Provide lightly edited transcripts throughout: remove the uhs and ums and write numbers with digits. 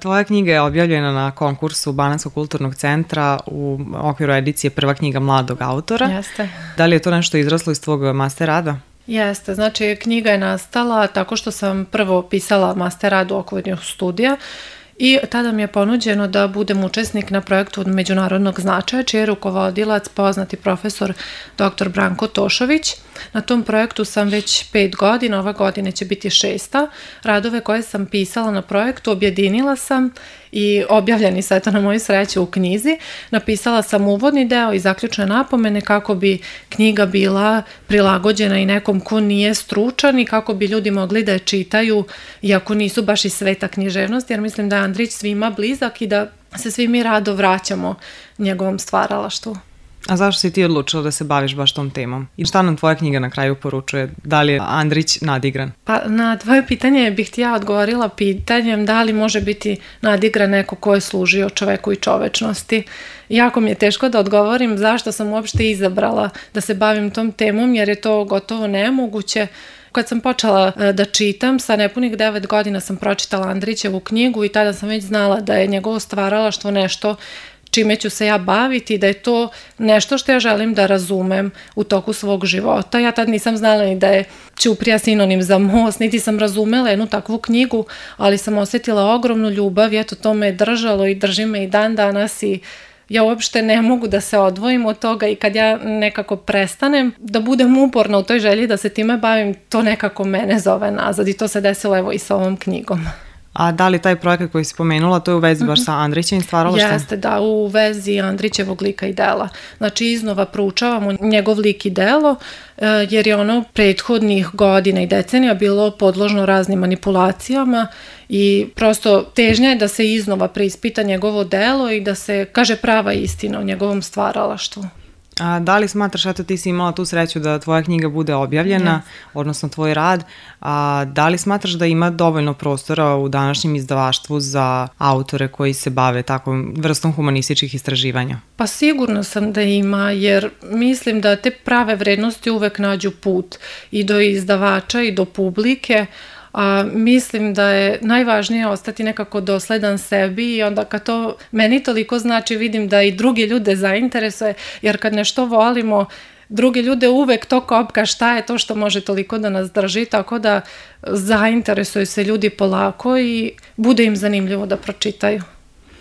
Tvoja knjiga je objavljena na konkursu Banatskog kulturnog centra u okviru edicije Prva knjiga mladog autora. Jeste. Da li je to nešto izraslo iz tvog master rada? Jeste, znači knjiga je nastala tako što sam prvo pisala master rad u okviru studija i tada mi je ponuđeno da budem učesnik na projektu od međunarodnog značaja, čiji je rukovodilac poznati profesor dr. Branko Tošović. Na tom projektu sam već 5 godina, ova godina će biti 6. Radove koje sam pisala na projektu objedinila sam i objavljeni su eto na moju sreću u knjizi. Napisala sam uvodni deo i zaključne napomene kako bi knjiga bila prilagođena i nekom ko nije stručan i kako bi ljudi mogli da je čitaju iako nisu baš iz sveta književnosti, jer mislim da je Andrić svima blizak i da se svi mi rado vraćamo njegovom stvaralaštvu. A zašto si ti odlučila da se baviš baš tom temom? I šta nam tvoja knjiga na kraju poručuje? Da li je Andrić nadigran? Pa na tvoje pitanje bih ti ja odgovorila pitanjem da li može biti nadigran neko ko je služio čoveku i čovečnosti. Jako mi je teško da odgovorim zašto sam uopšte izabrala da se bavim tom temom, jer je to gotovo nemoguće. Kad sam počela da čitam, sa nepunih 9 godina sam pročitala Andrićevu knjigu i tada sam već znala da je njegovo stvaralaštvo nešto čime ću se ja baviti, da je to nešto što ja želim da razumem u toku svog života. Ja tad nisam znala ni da je ćuprija sinonim za most, niti sam razumela jednu takvu knjigu, ali sam osjetila ogromnu ljubav i eto to me je držalo i drži me i dan danas i ja uopšte ne mogu da se odvojim od toga i kad ja nekako prestanem da budem uporna u toj želji da se time bavim, to nekako mene zove nazad i to se desilo evo i sa ovom knjigom. A da li taj projekat koji si pomenula, to je u vezi baš sa Andrićevim stvaralaštvom? Jeste, da, u vezi Andrićevog lika i dela. Znači, iznova proučavamo njegov lik i delo, jer je ono prethodnih godina i decenija bilo podložno raznim manipulacijama i prosto težnja je da se iznova preispita njegovo delo i da se kaže prava istina o njegovom stvaralaštvu. A da li smatraš, eto ti si imala tu sreću da tvoja knjiga bude objavljena, odnosno tvoj rad, a da li smatraš da ima dovoljno prostora u današnjem izdavaštvu za autore koji se bave takvom vrstom humanističkih istraživanja? Pa sigurno sam da ima, jer mislim da te prave vrednosti uvek nađu put i do izdavača i do publike, a mislim da je najvažnije ostati nekako dosledan sebi i onda kad to meni toliko znači vidim da i druge ljude zainteresuje, jer kad nešto volimo, druge ljude uvek to kopka šta je to što može toliko da nas drži, tako da zainteresuju se ljudi polako i bude im zanimljivo da pročitaju.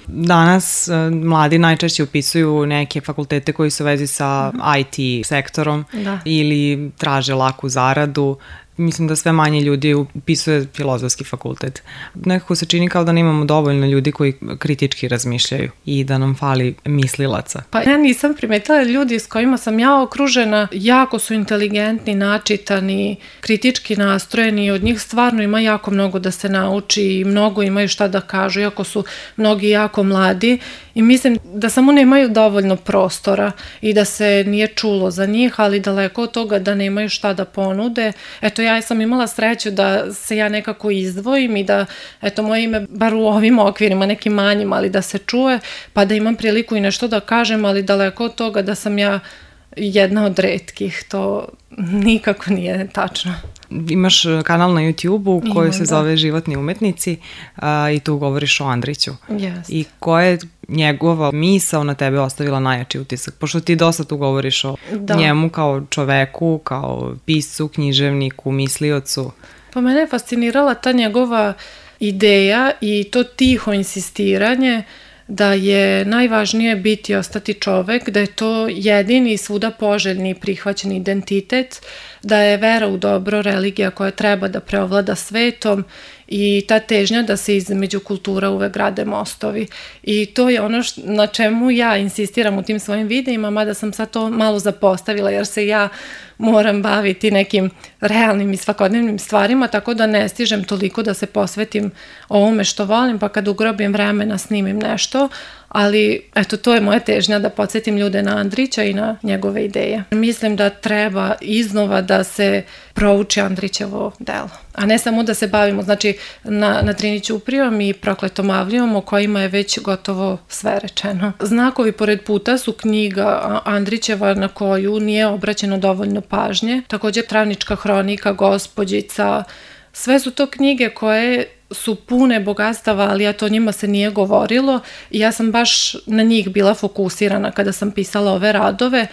Danas mladi najčešće upisuju neke fakultete koji su u vezi sa IT sektorom ili traže laku zaradu. Mislim da sve manje ljudi upisuje filozofski fakultet. Nekako se čini kao da nemamo dovoljno ljudi koji kritički razmišljaju i da nam fali mislilaca. Pa ja nisam primetila ljudi s kojima sam ja okružena, jako su inteligentni, načitani, kritički nastrojeni i od njih stvarno ima jako mnogo da se nauči i mnogo imaju šta da kažu, iako su mnogi jako mladi i mislim da samo nemaju dovoljno prostora i da se nije čulo za njih, ali daleko od toga da nemaju šta da ponude. Eto, ja sam imala sreću da se ja nekako izdvojim i da, eto, moje ime, bar u ovim okvirima, nekim manjim, ali da se čuje, pa da imam priliku i nešto da kažem, ali daleko od toga da sam ja jedna od retkih, to nikako nije tačno. Imaš kanal na YouTube-u koji se zove Životni umetnici i tu govoriš o Andriću. I koja je njegova misao na tebe ostavila najjači utisak? Pošto ti dosta tu govoriš o njemu kao čoveku, kao piscu, književniku, misliocu. Pa mene je fascinirala ta njegova ideja i to tiho insistiranje da je najvažnije biti i ostati čovek, da je to jedini svuda poželjni i prihvaćeni identitet, da je vera u dobro religija koja treba da preovlada svetom i ta težnja da se između kultura uvek grade mostovi. I to je ono na čemu ja insistiram u tim svojim videima, mada sam sad to malo zapostavila jer se ja moram baviti nekim realnim i svakodnevnim stvarima, tako da ne stižem toliko da se posvetim ovome što volim, pa kad ugrobim vremena snimim nešto, ali eto, to je moja težnja da podsjetim ljude na Andrića i na njegove ideje. Mislim da treba iznova da se prouči Andrićevo delo, a ne samo da se bavimo, znači na Trini Ćuprijom i Prokletom Avlijom o kojima je već gotovo sve rečeno. Znakovi pored puta su knjiga Andrićeva na koju nije obraćeno dovoljno pažnje, također Travnička hronika, Gospođica, sve su to knjige koje su pune bogatstava, ali eto o njima se nije govorilo i ja sam baš na njih bila fokusirana kada sam pisala ove radove.